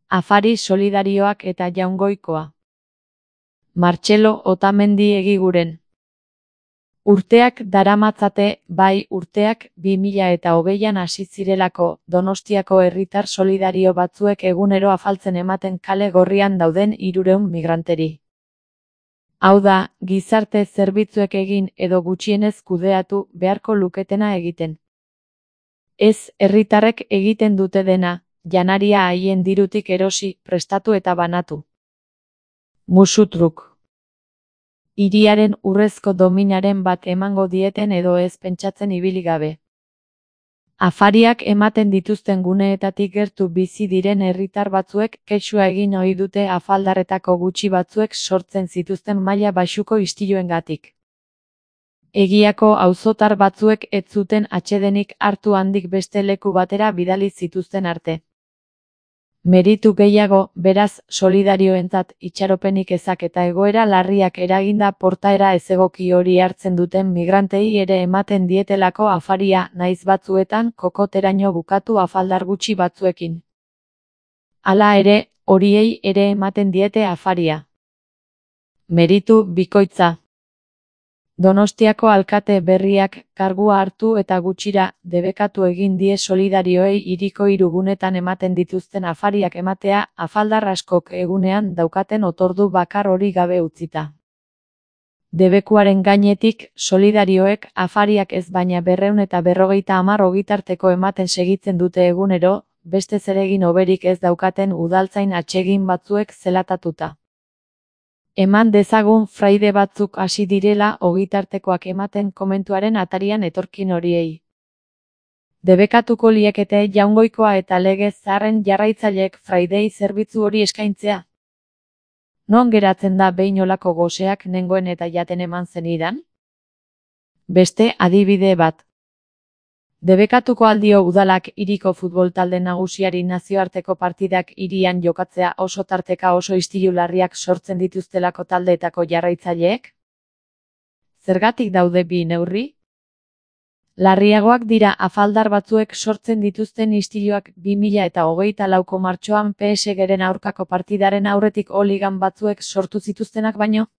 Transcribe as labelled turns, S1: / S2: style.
S1: Afari solidarioak eta Jaungoikoa. Martxelo Otamendi Egiguren. Urteak daramatzate, bai urteak 2020an hasi zirelako, Donostiako herritar solidario batzuek egunero afaltzen ematen kale gorrian dauden 300 migranteri. Hau da, gizarte zerbitzuek egin edo gutxienez kudeatu beharko luketena egiten. Ez, herritarrek egiten dute dena, janaria haien dirutik erosi, prestatu eta banatu. Musutruk. Hiriaren urrezko dominaren bat emango dieten edo ez pentsatzen ibili gabe. Afariak ematen dituzten guneetatik gertu bizi diren herritar batzuek kexua egin ohi dute afaldarretako gutxi batzuek sortzen zituzten maila baxuko istiluengatik. Egiako auzotar batzuek ez zuten atsedenik hartu handik beste leku batera bidali zituzten arte. Meritu gehiago, beraz, solidarioentzat itxaropenik ezak eta egoera larriak eraginda portaera ezegoki hori hartzen duten migrantei ere ematen dietelako afaria, naiz batzuetan kokoteraino bukatu afaldar gutxi batzuekin. Hala ere, horiei ere ematen diete afaria. Meritu bikoitza. Donostiako alkate berriak kargua hartu eta gutxira debekatu egin die solidarioei hiriko 3 gunetan ematen dituzten afariak ematea, afaldar askok egunean daukaten otordu bakar hori gabe utzita. Debekuaren gainetik, solidarioek afariak ez baina 250 ogitarteko ematen segitzen dute egunero, beste zeregin hoberik ez daukaten udaltzain atsegin batzuek zelatatuta. Eman dezagun fraide batzuk hasi direla ogitartekoak ematen komentuaren atarian etorkin horiei. Debekatuko liekete Jaungoikoa eta Legez Zaharren jarraitzaileek fraidei zerbitzu hori eskaintzea? Non geratzen da behin olako goseak nengoen eta jaten eman zenidan? Beste adibide bat. Debekatuko aldio udalak hiriko futbol talde nagusiari nazioarteko partidak hirian jokatzea oso tarteka oso istilu larriak sortzen dituztelako taldeetako jarraitzaileek? Zergatik daude bi neurri? Larriagoak dira afaldar batzuek sortzen dituzten istiluak 2024ko martxoan PSG-ren aurkako partidaren aurretik holigan batzuek sortu zituztenak baino?